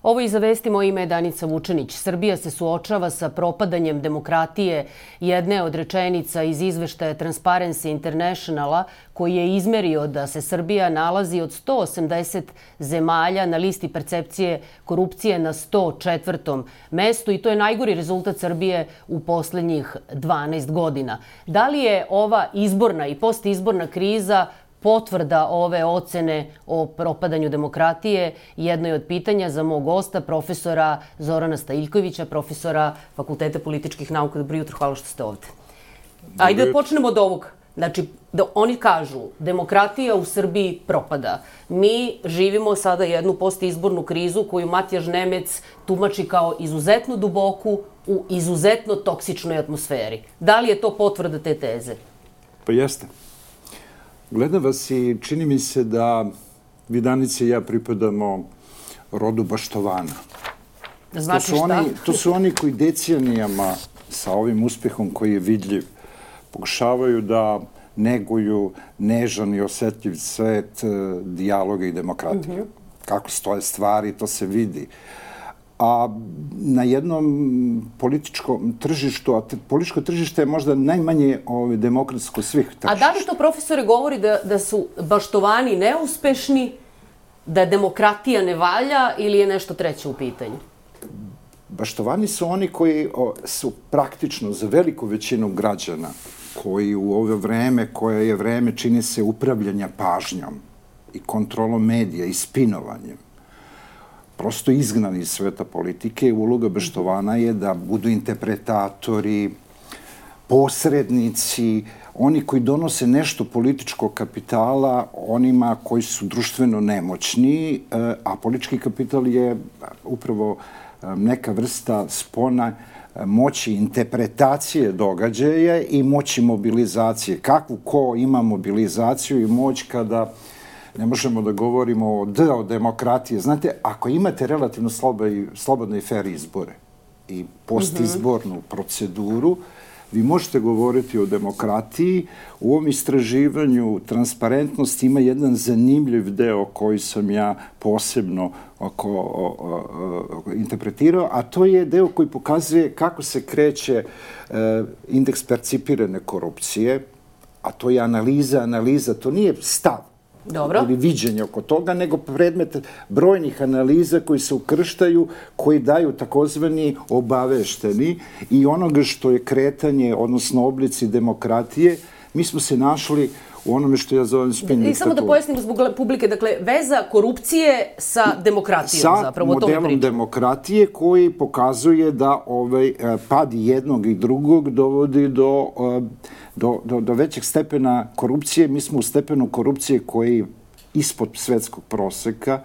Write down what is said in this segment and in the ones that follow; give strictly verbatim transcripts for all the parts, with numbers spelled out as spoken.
Ovo iz Vesti, moje ime je Danica Vučenić. Srbija se suočava sa propadanjem demokratije. Jedne od rečenica iz izveštaja Transparency Internationala koji je izmerio da se Srbija nalazi od sto osamdeset zemalja na listi percepcije korupcije na sto četvrtom mestu i to je najgori rezultat Srbije u poslednjih dvanaest godina. Da li je ova izborna i postizborna kriza potvrda ove ocene o propadanju demokratije? Jedno je od pitanja za mog gosta, profesora Zorana Stajiljkovića, profesora Fakulteta političkih nauka. Dobro jutro, hvala što ste ovde. Ajde da počnemo od ovog. Znači, da oni kažu, demokratija u Srbiji propada. Mi živimo sada jednu postizbornu krizu koju Matjaž Nemec tumači kao izuzetno duboku u izuzetno toksičnoj atmosferi. Da li je to potvrda te teze? Pa jeste. Gledam vas i čini mi se da vi, Danice, i ja pripadamo rodu baštovana. Znači šta? To su oni koji decenijama sa ovim uspehom koji je vidljiv pokušavaju da neguju nežan i osetljiv svet dijaloga i demokratije. Kako stoje stvari, to se vidi. A na jednom političkom tržištu, a političko tržište je možda najmanje demokratsko svih tržišta. A da li to, profesore, govori da su baštovani neuspešni, da demokratija ne valja ili je nešto treće u pitanju? Baštovani su oni koji su praktično za veliku većinu građana, koji u ovo vreme, koje je vreme, čini se upravljanja pažnjom i kontrolom medija i spinovanjem, prosto izgnani iz sveta politike. Uloga baštovana je da budu interpretatori, posrednici, oni koji donose nešto političkog kapitala onima koji su društveno nemoćni, a politički kapital je upravo neka vrsta spona moći interpretacije događaja i moći mobilizacije. Kakvu ko ima mobilizaciju i moć kada ne možemo da govorimo o deo demokratije. Znate, ako imate relativno slobodne i fair izbore i postizbornu proceduru, vi možete govoriti o demokratiji. U ovom istraživanju transparentnosti ima jedan zanimljiv deo koji sam ja posebno interpretirao, a to je deo koji pokazuje kako se kreće indeks percipirane korupcije, a to je analiza, analiza, to nije stav ili viđenje oko toga, nego predmet brojnih analiza koji se ukrštaju, koji daju takozvani obavešteni i onoga što je kretanje, odnosno oblici demokratije. Mi smo se našli u onome što ja zovem spin diktaturu. I samo da pojasnimo zbog publike, dakle, veza korupcije sa demokratijom, zapravo. Sa modelom demokratije koji pokazuje da pad jednog i drugog dovodi do do većeg stepena korupcije. Mi smo u stepenu korupcije koji je ispod svetskog proseka,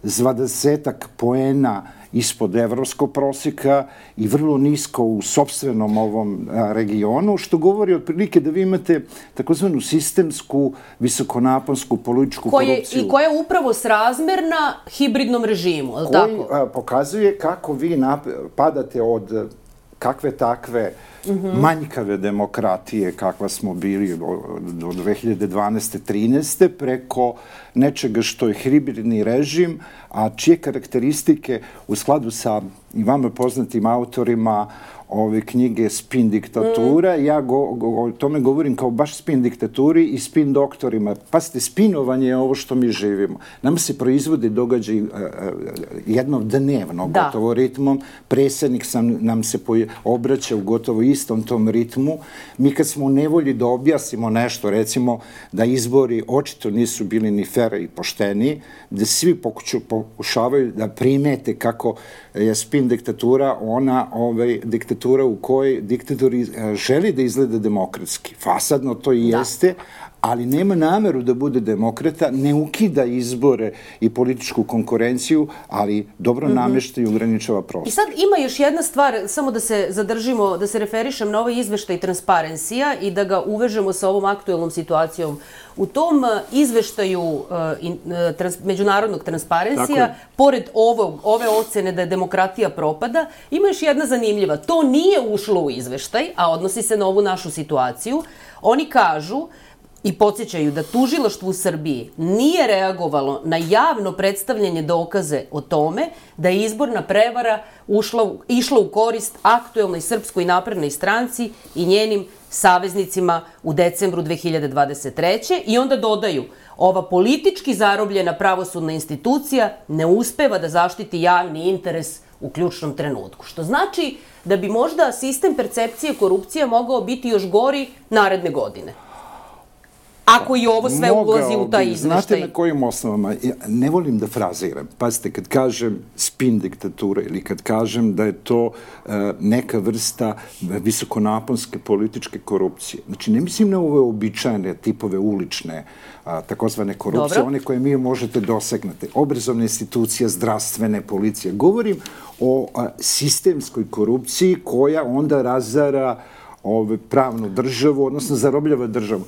dvadesetak poena ispod evropskog proseka i vrlo nisko u sopstvenom ovom regionu, što govori otprilike da vi imate takozvanu sistemsku, visokonaponsku političku korupciju. I koja je upravo srazmerna hibridnom režimu, je li tako? Koji pokazuje kako vi padate od kakve takve manjkave demokratije kakva smo bili do dve hiljade dvanaeste trinaeste preko nečega što je hibridni režim, a čije karakteristike u skladu sa i vama poznatim autorima ove knjige Spin diktatura, ja o tome govorim kao baš spin diktaturi i spin doktorima. Pazite, spinovanje je ovo što mi živimo. Nama se proizvode događaj jednom dnevno, gotovo ritmom. Predsjednik nam se obraća u gotovo istom tom ritmu. Mi kad smo u nevolji da objasnimo nešto, recimo da izbori očito nisu bili ni fer i pošteni, da svi pokušavaju da primete kako je spin diktatura ona diktatura u kojoj diktatori želi da izgleda demokratski. Fasadno to i jeste, ali nema nameru da bude demokrata, ne ukida izbore i političku konkurenciju, ali dobro namešta i ograničava prostor. I sad ima još jedna stvar, samo da se zadržimo, da se referišem na ovaj izveštaj Transparencija i da ga uvežemo sa ovom aktuelnom situacijom. U tom izveštaju međunarodnog Transparencija, pored ove ocene da je demokratija propada, ima još jedna zanimljiva. To nije ušlo u izveštaj, a odnosi se na ovu našu situaciju. Oni kažu i podsjećaju da tužilaštvo u Srbiji nije reagovalo na javno predstavljanje dokaze o tome da je izborna prevara ušla, išla u korist aktuelnoj Srpskoj naprednoj stranci i njenim saveznicima u decembru dve hiljade dvadeset treće. I onda dodaju, ova politički zarobljena pravosudna institucija ne uspeva da zaštiti javni interes u ključnom trenutku. Što znači da bi možda sistem percepcije korupcije mogao biti još gori naredne godine. Ako i ovo sve ulazi u taj izveštaj. Znate na kojim osnovama? Ja ne volim da fraziram. Pazite, kad kažem spin diktatura ili kad kažem da je to uh, neka vrsta visokonaponske političke korupcije. Znači, ne mislim na ove običajne tipove ulične, uh, takozvane korupcije, Dobro. one koje mi možete dosegnati. Obrazovne institucije, zdravstvene, policije. Govorim o uh, sistemskoj korupciji koja onda razara ove, pravnu državu, odnosno zarobljava državu.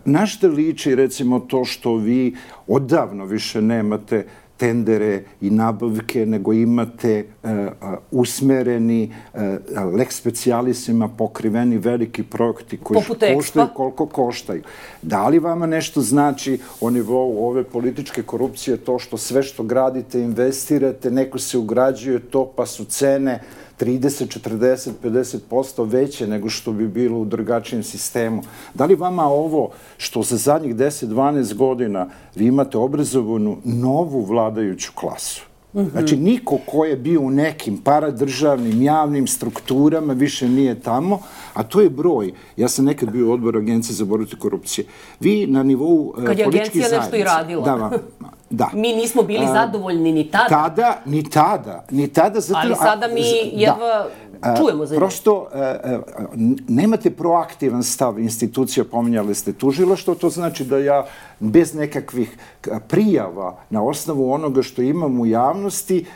Na što liči, recimo, to što vi odavno više nemate tendere i nabavke, nego imate uh, uh, usmereni uh, lex specialisima pokriveni veliki projekti koji koštaju koliko koštaju. Da li vama nešto znači o nivou ove političke korupcije to što sve što gradite, investirate, neko se ugrađuje to, pa su cene trideset, četrdeset, pedeset posto veće nego što bi bilo u drugačijem sistemu. Da li vama ovo što za zadnjih deset do dvanaest godina vi imate obrazovanu novu vladajuću klasu? Znači, niko ko je bio u nekim paradržavnim, javnim strukturama više nije tamo, a to je broj. Ja sam nekad bio u odboru Agencije za borbu protiv korupcije. Vi na nivou političkih zajednica... Kad je agencija nešto i radila. Da, da. Mi nismo bili zadovoljni ni tada. Tada, ni tada, ni tada. Zato, ali sada mi jedva da. čujemo za njih. Prosto, nemate proaktivan stav institucija, pominjali ste tužilaštvo, to znači da ja bez nekakvih prijava na osnovu onoga što imam u javnosti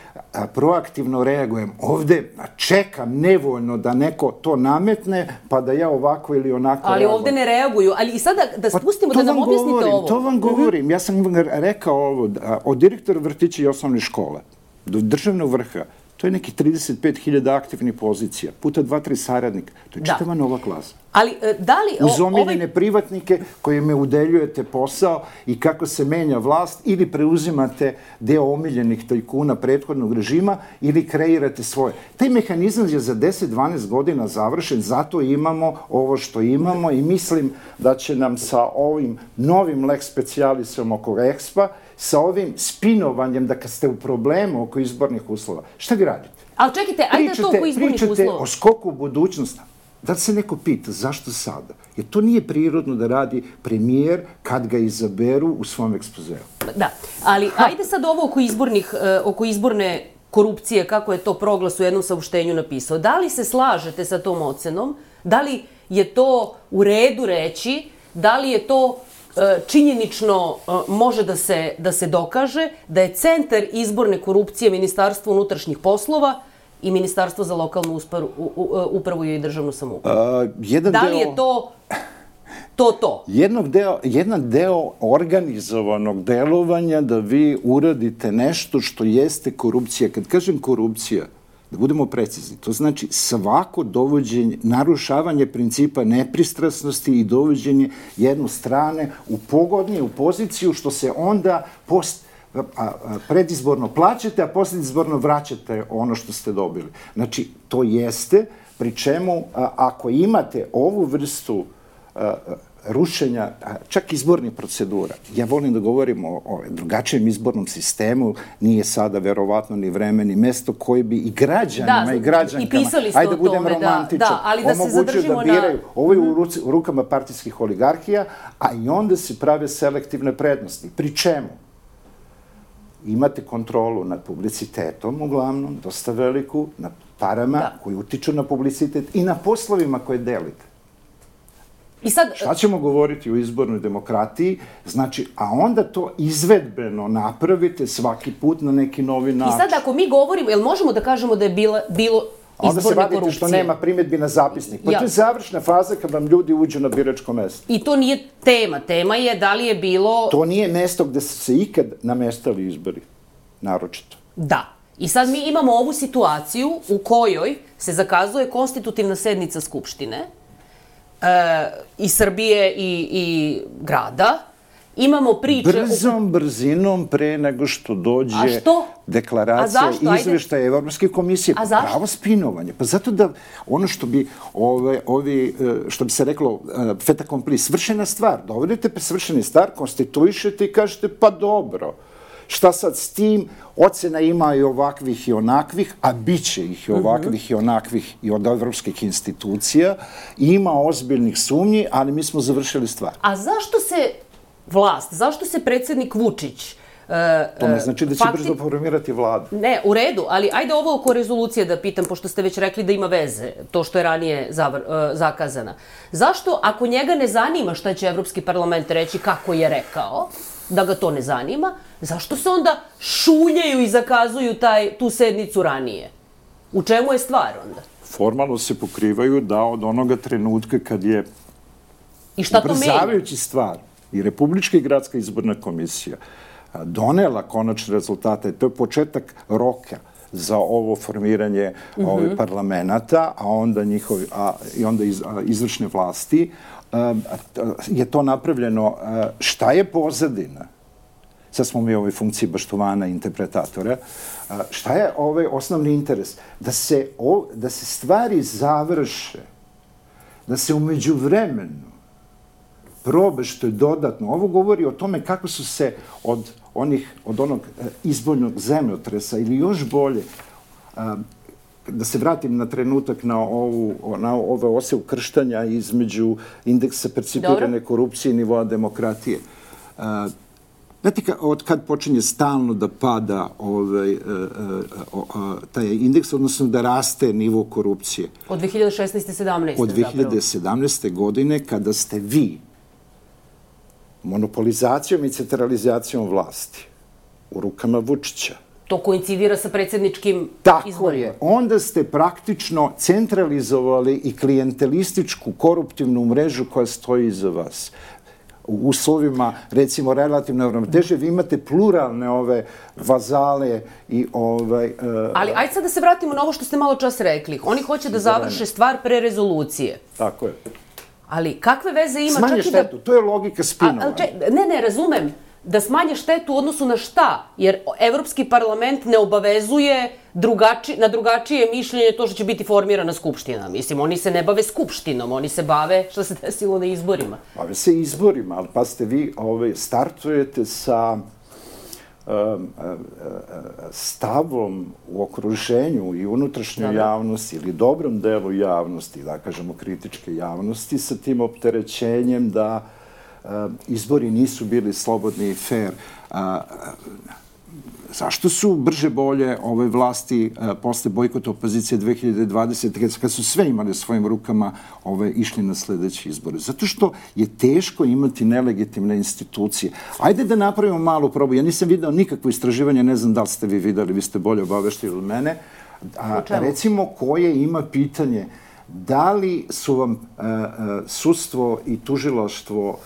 proaktivno reagujem. Ovde čekam nevoljno da neko to nametne, pa da ja ovako ili onako ali reagujem. Ovde ne reaguju. Ali i sada da spustimo, pa, da nam objasnite govorim, ovo. To vam govorim. Ja sam rekao ovo, od direktora vrtića i osnovne škole do državnog vrha, to je nekih trideset pet hiljada aktivnih pozicija, puta dva, tri saradnika. To je čitava nova klasa. Ali, da li... Uz omiljene privatnike kojima udeljujete posao i kako se menja vlast, ili preuzimate deo omiljenih tajkuna prethodnog režima ili kreirate svoje. Taj mehanizam je za deset do dvanaest godina završen, zato imamo ovo što imamo i mislim da će nam sa ovim novim lex specialisom oko Expa, sa ovim spinovanjem da kad ste u problemu oko izbornih uslova, šta vi radite? Ali čekajte, ajde to oko izbornih uslova. Pričate o skoku u budućnosti. Da se neko pita zašto sada? Jer to nije prirodno da radi premijer kad ga izaberu u svom ekspozeu. Da, ali ajde sad ovo oko, izbornih, oko izborne korupcije, kako je to Proglas u jednom saopštenju napisao. Da li se slažete sa tom ocenom? Da li je to u redu reći? Da li je to činjenično može da se, da se dokaže da je centar izborne korupcije Ministarstvo unutrašnjih poslova i Ministarstvo za lokalnu upravu i državnu samoupravu? Da li je to to to? Jednog deo, jedan deo organizovanog delovanja da vi uradite nešto što jeste korupcija. Kad kažem korupcija, da budemo precizni, to znači svako dovođenje, narušavanje principa nepristrasnosti i dovođenje jednu strane u pogodniju poziciju, što se onda post predizborno plaćate, a posljedizborno vraćate ono što ste dobili. Znači, to jeste, pri čemu ako imate ovu vrstu rušenja, čak izbornih procedura. Ja volim da govorim o, o drugačijem izbornom sistemu, nije sada verovatno ni vreme, ni mesto koje bi i građanima da, i građankama, ajde da budem romantičan, da, da, ali da se zadržimo da biraju. Na... Ovo je u, ruci, u rukama partijskih oligarhija, a i onda se prave selektivne prednosti. Pri čemu? Imate kontrolu nad publicitetom, uglavnom, dosta veliku, nad parama da. koji utiču na publicitet i na poslovima koje delite. I sad... Šta ćemo govoriti o izbornoj demokratiji? Znači, a onda to izvedbeno napravite svaki put na neki novi način. I sad ako mi govorimo, jel možemo da kažemo da je bila, bilo izborne korupcije? Onda se vadite što nema primjedbi na zapisnik. Pa ja. To je završna faza kad vam ljudi uđu na biračko mesto. I to nije tema. Tema je da li je bilo... To nije mesto gde su se ikad namestali izbori. Naročito. Da. I sad mi imamo ovu situaciju u kojoj se zakazuje konstitutivna sednica Skupštine. i Srbije i, i grada. Imamo priče... Brzom brzinom pre nego što dođe deklaracija i izveštaje Evropske komisije. A zašto? Pravo spinovanje. Pa zato da ono što bi, ove, ovi, što bi se reklo, fait accompli, svršena stvar. Dovodite pa svršeni stvar, konstituišete i kažete pa dobro. Šta sad s tim? Ocena ima i ovakvih i onakvih, a bit će ih i ovakvih i onakvih i od evropskih institucija. Ima ozbiljnih sumnji, ali mi smo završili stvar. A zašto se vlast, zašto se predsjednik Vučić... To ne znači da će brzo formirati vladu. Ne, u redu, ali ajde ovo oko rezolucije da pitam, pošto ste već rekli da ima veze, to što je ranije zakazana. Zašto, ako njega ne zanima šta će Evropski parlament reći kako je rekao, da ga to ne zanima, zašto se onda šuljaju i zakazuju taj, tu sednicu ranije? U čemu je stvar onda? Formalno se pokrivaju da od onoga trenutka kad je ubrzavajući stvar i Republička i gradska izborna komisija donela konačne rezultate, to je početak roka za ovo formiranje mm-hmm. ovih parlamenta, a onda, njihovi, a, i onda iz, a, izvršne vlasti, a, a, je to napravljeno. A, šta je pozadina? Sad smo mi u ovoj funkciji baštovana interpretatora. A, šta je ovaj osnovni interes? Da se, o, da se stvari završe, da se umeđu vremenu probe što je dodatno. Ovo govori o tome kako su se od onih, od onog izboljnog zemljotresa ili još bolje, da se vratim na trenutak na ovu, na ove ose ukrštanja između indeksa percipirane korupcije i nivoa demokratije. Znate, od kad počinje stalno da pada ovaj, taj indeks, odnosno da raste nivo korupcije? Od dve hiljade šesnaeste sedamnaeste Od dve hiljade sedamnaeste godine, kada ste vi monopolizacijom i centralizacijom vlasti u rukama Vučića. To koincidira sa predsjedničkim izborima. Tako je. Onda ste praktično centralizovali i klijentelističku koruptivnu mrežu koja stoji iza vas. U uslovima, recimo, relativne ravnoteže, vi imate pluralne ove vazale i ovaj... Ali ajde sad da se vratimo na ovo što ste malo čas rekli. Oni hoće da završe stvar pre rezolucije. Tako je. Ali kakve veze ima... Smanje štetu, to je logika spinovanja. Ne, ne, razumem. Da smanje štetu u odnosu na šta? Jer Evropski parlament ne obavezuje na drugačije mišljenje to što će biti formirana skupština. Mislim, oni se ne bave skupštinom, oni se bave što se desilo na izborima. Bave se izborima, ali pa ste vi startujete sa stavom u okruženju i unutrašnjoj javnosti ili dobrom delu javnosti, da kažemo kritičke javnosti, sa tim opterećenjem da izbori nisu bili slobodni i fair. Zašto su brže bolje ove vlasti posle bojkota opozicije dve hiljade dvadesete kad su sve imali u svojim rukama išli na sledeće izbore? Zato što je teško imati nelegitimne institucije. Ajde da napravimo malu probu. Ja nisam video nikakvo istraživanje, ne znam da li ste vi videli, vi ste bolje obaveštili od mene. Recimo, koje ima pitanje da li su vam sudstvo i tužilaštvo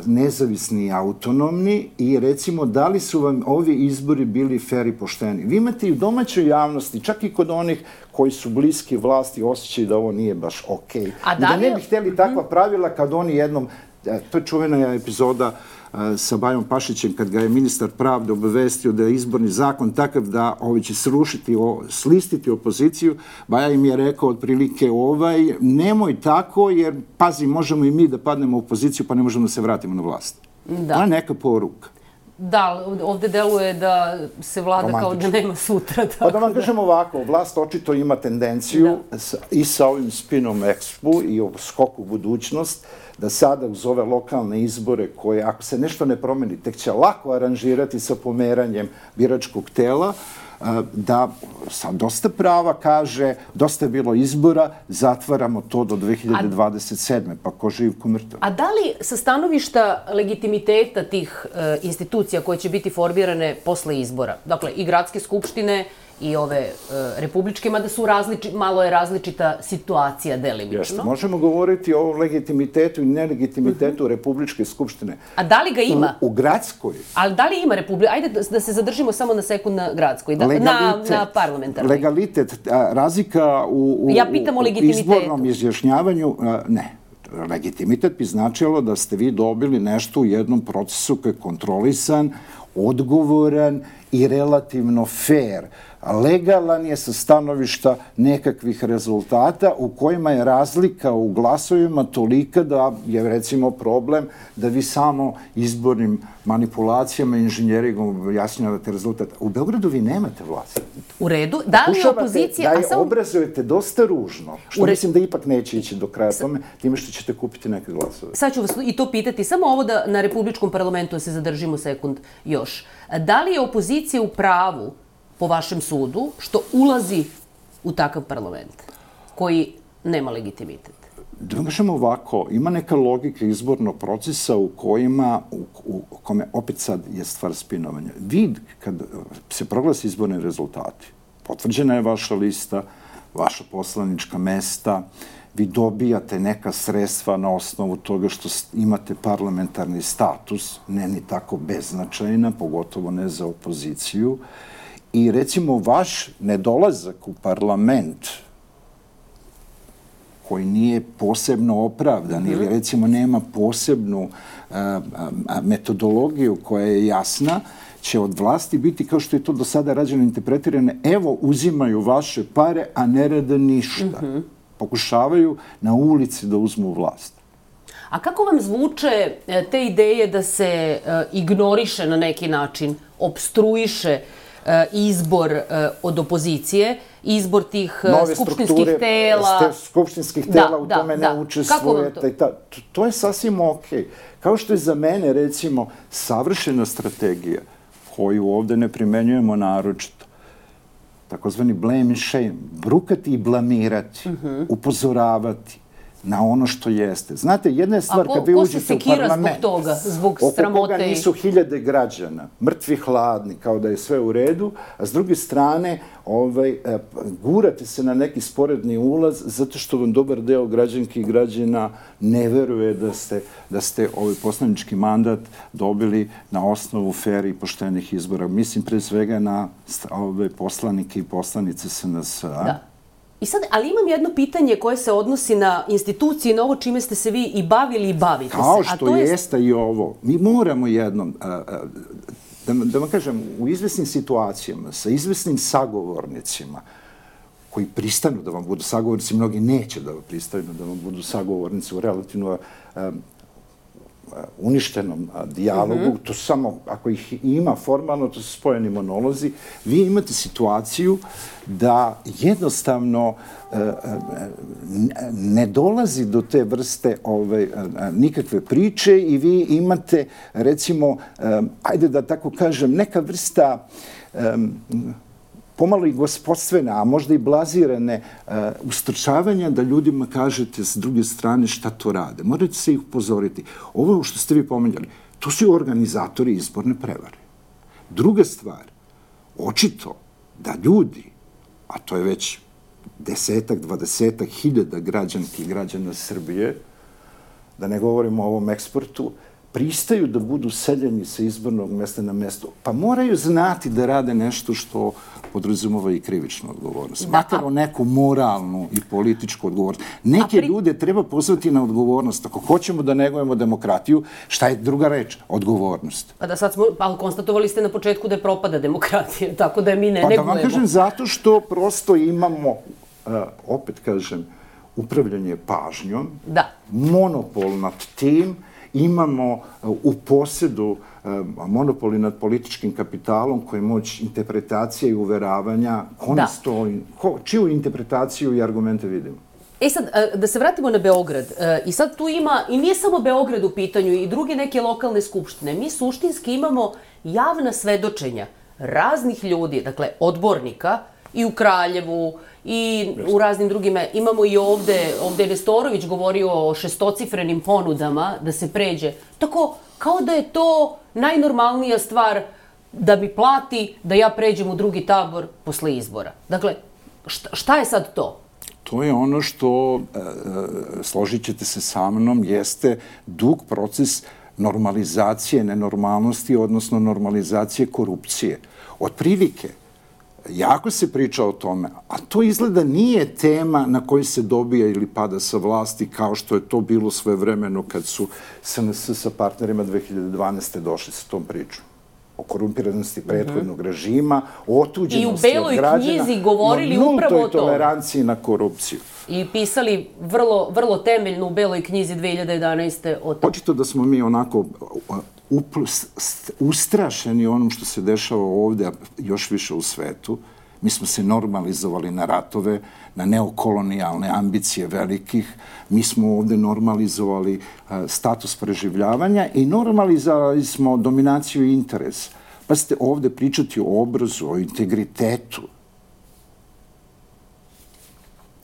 nezavisni i autonomni i recimo da li su vam ovi izbori bili fer i pošteni. Vi imate i u domaćoj javnosti, čak i kod onih koji su bliski vlasti, osjećaju da ovo nije baš okej. I da ne bi htjeli takva pravila kad oni jednom, to je čuvena epizoda sa Bajom Pašićem, kad ga je ministar pravde obavestio da je izborni zakon takav da ovi će srušiti, slistiti opoziciju. Baja im je rekao otprilike ovaj, nemoj tako jer, pazi, možemo i mi da padnemo u opoziciju pa ne možemo da se vratimo na vlast. To je neka poruka. Da, ovde deluje da se vlada kao da nema sutra. Pa da vam kažem ovako, vlast očito ima tendenciju i sa ovim spinom Expo i o skoku u budućnost, da sada uz ove lokalne izbore koje, ako se nešto ne promeni, tek će lako aranžirati sa pomeranjem biračkog tela, da sa dosta prava kaže, dosta je bilo izbora, zatvaramo to do dve hiljade dvadeset sedme pa ko živ, ko mrtav. A da li sa stanovišta legitimiteta tih institucija koje će biti formirane posle izbora, dakle i gradske skupštine i ove republičke, mada su malo je različita situacija delimično. Jeste, možemo govoriti o legitimitetu i nelegitimitetu Republičke skupštine. A da li ga ima? U gradskoj. Ali da li ima Republika? Ajde da se zadržimo samo na sekund na gradskoj, na parlamentarnoj. Legalitet, razlika u izbornom izjašnjavanju, ne. legitimitet bi značilo da ste vi dobili nešto u jednom procesu koji je kontrolisan, odgovoran i relativno fair. Legalan je sa stanovišta nekakvih rezultata u kojima je razlika u glasovima tolika da je recimo problem da vi samo izbornim manipulacijama i inženjeringom objasnjavate rezultat. U Beogradu vi nemate vlast. U redu. Da li je opozicija... Da je obrazujete dosta ružno, što mislim da ipak neće ići do kraja tome, time što ćete kupiti neke glasove. Sad ću vas i to pitati, samo ovo da na Republičkom parlamentu se zadržimo sekund još. Da li je opozicija u pravu po vašem sudu, što ulazi u takav parlament koji nema legitimitet? Da vam kažemo ovako, ima neka logika izbornog procesa u kojima, u, u kome opet sad je stvar spinovanja. Vi, kad se proglasi izborni rezultati, potvrđena je vaša lista, vaša poslanička mesta, vi dobijate neka sredstva na osnovu toga što imate parlamentarni status, ne ni tako beznačajna, pogotovo ne za opoziciju. I recimo vaš nedolazak u parlament koji nije posebno opravdan ili recimo nema posebnu a, a, metodologiju koja je jasna, će od vlasti biti kao što je to do sada rađeno interpretirano, evo uzimaju vaše pare, a ne rade ništa. Mm-hmm. Pokušavaju na ulici da uzmu vlast. A kako vam zvuče te ideje da se ignoriše na neki način, obstruiše izbor od opozicije, izbor tih skupštinskih tela. Nove skupštinskih tela u tome ne učestvujete. To je sasvim okej. Kao što je za mene, recimo, savršena strategija koju ovde ne primenjujemo naročito, takozvani blame and shame, brukati i blamirati, upozoravati na ono što jeste. Znate, jedna je stvar kad vi uđete u parlament, zbog toga, zbog sramote, oko koga nisu hiljade građana, mrtvi hladni, kao da je sve u redu, a s druge strane ovaj, gurate se na neki sporedni ulaz zato što vam dobar deo građanki i građana ne veruje da ste, da ste ovaj poslanički mandat dobili na osnovu fer i poštenih izbora. Mislim pre svega na ove poslanike i poslanice S N S-a. Da. I sad, ali imam jedno pitanje koje se odnosi na institucije, na ovo čime ste se vi i bavili i bavite se. Kao što jeste i ovo. Mi moramo jednom, da vam kažem, u izvesnim situacijama, sa izvesnim sagovornicima, koji pristanu da vam budu sagovornici, mnogi neće da pristanu da vam budu sagovornici u relativno uništenom dijalogu, to samo, ako ih ima formalno, to su spojeni monolozi, vi imate situaciju da jednostavno ne dolazi do te vrste nikakve priče i vi imate, recimo, ajde da tako kažem, neka vrsta pomalo i gospodstvena, a možda i blazirane ustrčavanja da ljudima kažete s druge strane šta to rade. Morate se ih upozoriti. Ovo što ste vi pomenjali, to su organizatori izborne prevare. Druga stvar, očito da ljudi, a to je već desetak, dvadesetak hiljada građanki i građana Srbije, da ne govorimo o ovom eksportu, pristaju da budu seljeni sa izbornog mesta na mesto, pa moraju znati da rade nešto što podrazumeva i krivičnu odgovornost. Makar o neku moralnu i političku odgovornost. Neke ljude treba pozvati na odgovornost. Ako hoćemo da negujemo demokratiju, šta je druga reč? Odgovornost. Pa da sad smo, ali konstatovali ste na početku da je propada demokratija, tako da mi ne negujemo. Pa da vam kažem, zato što prosto imamo, opet kažem, upravljanje pažnjom, monopol nad tim, imamo u posjedu monopoli nad političkim kapitalom koji je moć interpretacije i uveravanja. Čiju interpretaciju i argumente vidimo? E sad, da se vratimo na Beograd. I sad tu ima, i nije samo Beograd u pitanju, i druge neke lokalne skupštine. Mi suštinski imamo javna svedočenja raznih ljudi, dakle, odbornika, i u Kraljevu, i u raznim drugima. Imamo i ovde, ovde je Nestorović govorio o šestocifrenim ponudama da se pređe. Tako, kao da je to najnormalnija stvar da mi plati da ja pređem u drugi tabor posle izbora. Dakle, šta je sad to? To je ono što, složit ćete se sa mnom, jeste dug proces normalizacije nenormalnosti, odnosno normalizacije korupcije. Od prilike, jako se priča o tome, a to izgleda nije tema na kojoj se dobija ili pada sa vlasti, kao što je to bilo svojevremeno kad su S N S sa partnerima dve hiljade dvanaeste. došli sa tom pričom. O korumpiranosti prethodnog režima, o otuđenosti od građana. I u Beloj knjizi govorili upravo o tome. I o nultoj tome. toleranciji na korupciju. I pisali vrlo, vrlo temeljno u Beloj knjizi dve hiljade jedanaeste. o tome. Očito da smo mi onako ustrašeni onom što se dešava ovde, a još više u svetu. Mi smo se normalizovali na ratove, na neokolonijalne ambicije velikih. Mi smo ovde normalizovali status preživljavanja i normalizovali smo dominaciju i interes. Pa ste ovde pričati o obrazu, o integritetu.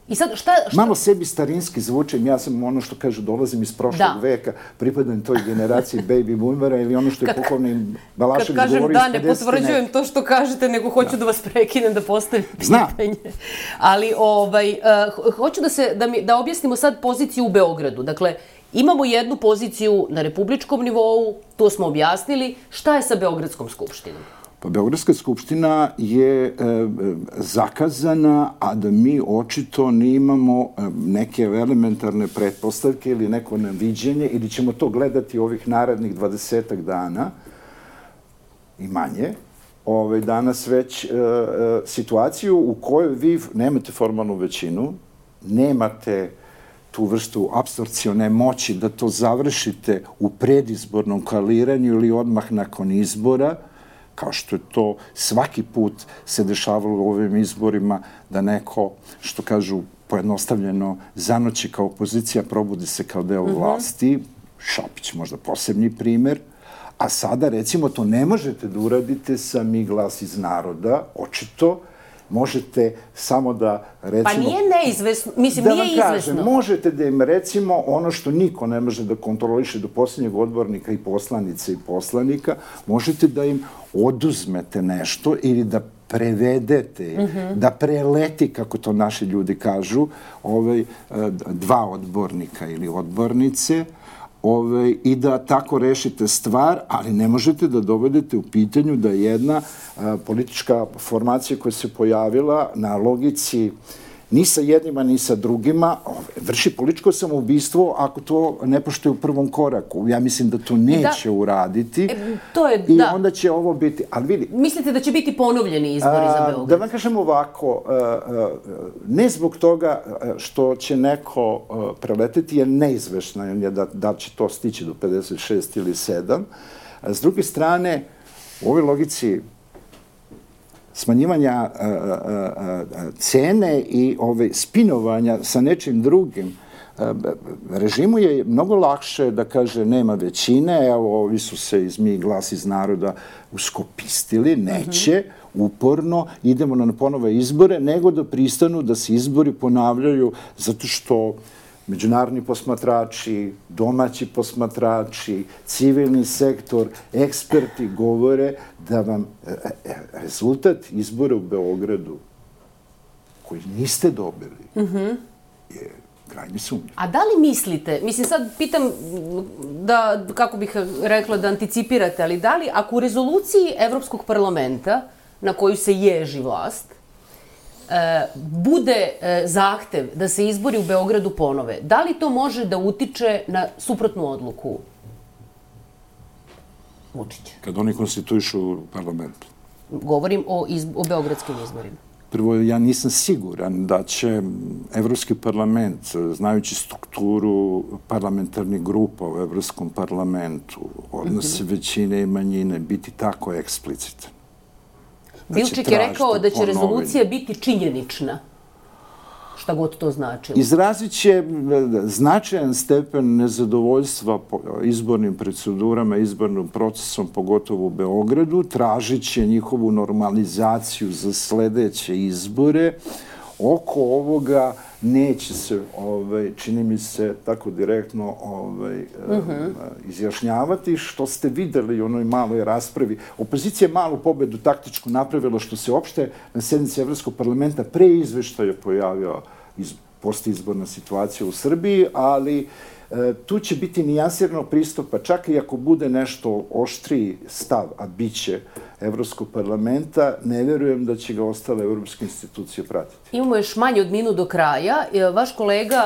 I sad, šta, šta... Malo sebi starinski zvučem, ja sam ono što kažu, dolazim iz prošlog da. veka, pripadam toj generaciji baby boomera ili ono što je pokojni Balašević govori iz da, ne potvrđujem to što kažete, nego hoću da, da vas prekinem da postavim pitanje. Ali, ovaj, uh, hoću da, se, da, mi, da objasnimo sad poziciju u Beogradu. Dakle, imamo jednu poziciju na republičkom nivou, to smo objasnili. Šta je sa Beogradskom skupštinom? Pa Beogradska skupština je e, zakazana, a da mi očito nemamo neke elementarne pretpostavke ili neko naviđenje, ili ćemo to gledati ovih narednih dvadesetak dana i manje. Ove, danas već e, e, situaciju u kojoj vi nemate formalnu većinu, nemate tu vrstu apsorpcione moći da to završite u predizbornom kaliranju ili odmah nakon izbora, kao što je to svaki put se dešavalo u ovim izborima, da neko, što kažu pojednostavljeno, zanoći kao opozicija, probudi se kao deo vlasti. Šapić možda posebni primer. A sada, recimo, to ne možete da uradite sa Mi glas iz naroda, očito. Možete samo da, recimo... Pa nije neizvesno, mislim, nije izvesno. Da vam kažem, možete da im, recimo, ono što niko ne može da kontroliše do posljednjeg odbornika i poslanice i poslanika, možete da im oduzmete nešto ili da prevedete, da preleti, kako to naši ljudi kažu, ovaj, dva odbornika ili odbornice, Ove, i da tako rešite stvar, ali ne možete da dovedete u pitanju da jedna a, politička formacija koja se pojavila na logici ni sa jednima, ni sa drugima, ove, vrši političko samoubistvo ako to ne poštuje u prvom koraku. Ja mislim da to neće da, uraditi e, to je, i da. onda će ovo biti... Ali vidi, mislite da će biti ponovljeni izbori a, za Beograd? Da vam kažem ovako, a, a, ne zbog toga što će neko a, preleteti, jer neizvešno je da, da će to stići do pedeset šest ili sedam. A, s druge strane, u ovoj logici smanjivanja a, a, a, cene i ove spinovanja sa nečim drugim, a, režimu je mnogo lakše da kaže nema većine, evo ovi su se iz Mi glas iz naroda uskopistili, neće, uporno, idemo na ponove izbore, nego da pristanu da se izbori ponavljaju zato što međunarodni posmatrači, domaći posmatrači, civilni sektor, eksperti govore da vam rezultat izbora u Beogradu, koji niste dobili, je krajnje sumnjiv. A da li mislite, mislim sad pitam da, kako bih rekla, da anticipirate, ali da li ako u rezoluciji Evropskog parlamenta na koju se ježi vlast, bude zahtev da se izbori u Beogradu ponove, da li to može da utiče na suprotnu odluku Vučića? Kad oni konstituišu parlament? Govorim o, izb o beogradskim izborima. Prvo, ja nisam siguran da će Evropski parlament, znajući strukturu parlamentarnih grupa u Evropskom parlamentu, odnose većine i manjine, biti tako eksplicitan. Bilčik je rekao da će rezolucija biti činjenična, šta god to značilo. Izrazit će značajan stepen nezadovoljstva izbornim procedurama, izbornim procesom, pogotovo u Beogradu, tražit će njihovu normalizaciju za sledeće izbore. Oko ovoga neće se, ovaj, čini mi se, tako direktno ovaj, uh-huh. izjašnjavati, što ste videli u onoj maloj raspravi. Opozicija je malu pobedu taktičku napravila, što se opšte na sednici Evropskog parlamenta pre izveštaja pojavio iz, postizborna situacija u Srbiji, ali Tu će biti nijansirano pristupa, čak i ako bude nešto oštriji stav, a bit će Evropskog parlamenta, ne verujem da će ga ostale evropske institucije pratiti. Imamo još manje od minut do kraja. Vaš kolega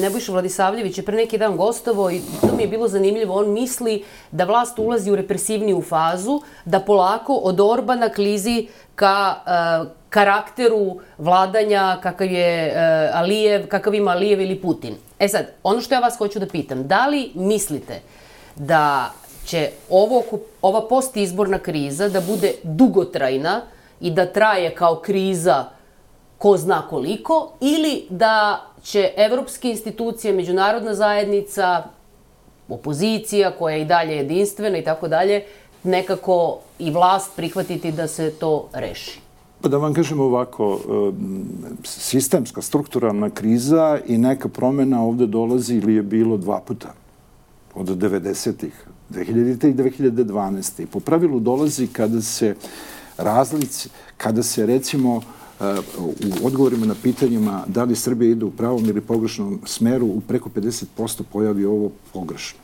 Nebojša Vladisavljević je pre neki dan gostovao i to mi je bilo zanimljivo. On misli da vlast ulazi u represivniju fazu, da polako od Orbana klizi ka karakteru vladanja kakav je Alijev, kakav ima Alijev ili Putin. E sad, ono što ja vas hoću da pitam, da li mislite da će ovo, ova postizborna kriza da bude dugotrajna i da traje kao kriza ko zna koliko, ili da će evropske institucije, međunarodna zajednica, opozicija koja je i dalje jedinstvena i tako dalje, nekako i vlast prihvatiti da se to reši? Pa da vam kažem ovako, sistemska, strukturalna kriza i neka promjena ovde dolazi ili je bilo dva puta od devedesetih, dve hiljadite i dve hiljade dvanaeste. I po pravilu dolazi kada se razlici, kada se recimo u odgovorima na pitanjima da li Srbija ide u pravom ili pogrešnom smeru u preko pedeset posto pojavi ovo pogrešno.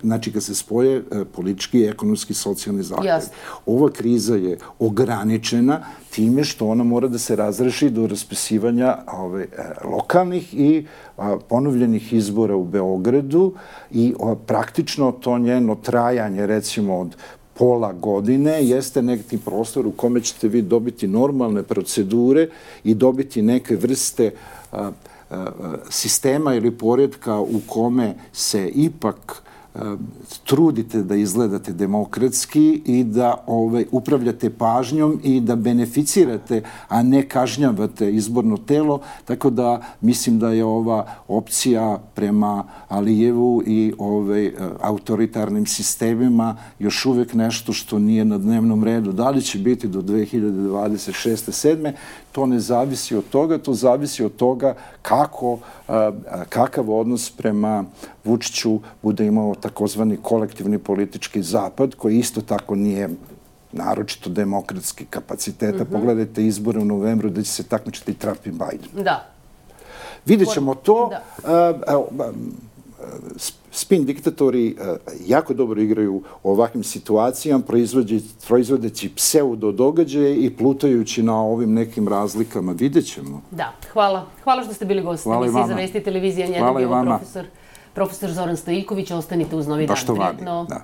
Znači, kad se spoje politički, ekonomski, socijalni zahtev. Ova kriza je ograničena time što ona mora da se razreši do raspisivanja lokalnih i ponovljenih izbora u Beogradu i praktično to njeno trajanje, recimo od pola godine, jeste neki prostor u kome ćete vi dobiti normalne procedure i dobiti neke vrste sistema ili poredka u kome se ipak trudite da izgledate demokratski i da upravljate pažnjom i da beneficirate, a ne kažnjavate izborno telo. Tako da mislim da je ova opcija prema Alijevu i autoritarnim sistemima još uvek nešto što nije na dnevnom redu. Da li će biti do dve hiljade dvadeset šeste sedme To ne zavisi od toga, to zavisi od toga kako, kakav odnos prema Vučiću bude imao takozvani kolektivni politički zapad, koji isto tako nije naročito demokratski kapaciteta. Pogledajte izbore u novembru gde će se takmičiti Trump i Biden. Da. Vidjet ćemo to. Spin diktatori jako dobro igraju u ovakvim situacijama, proizvodeći pseudo događaje i plutajući na ovim nekim razlikama. Vidjet ćemo. Da, hvala. Hvala što ste bili gosti emisije za Vesti televizije. Njena bio profesor Zoran Stojiljković. Ostanite uz Novi dan. Baš to vadi, da.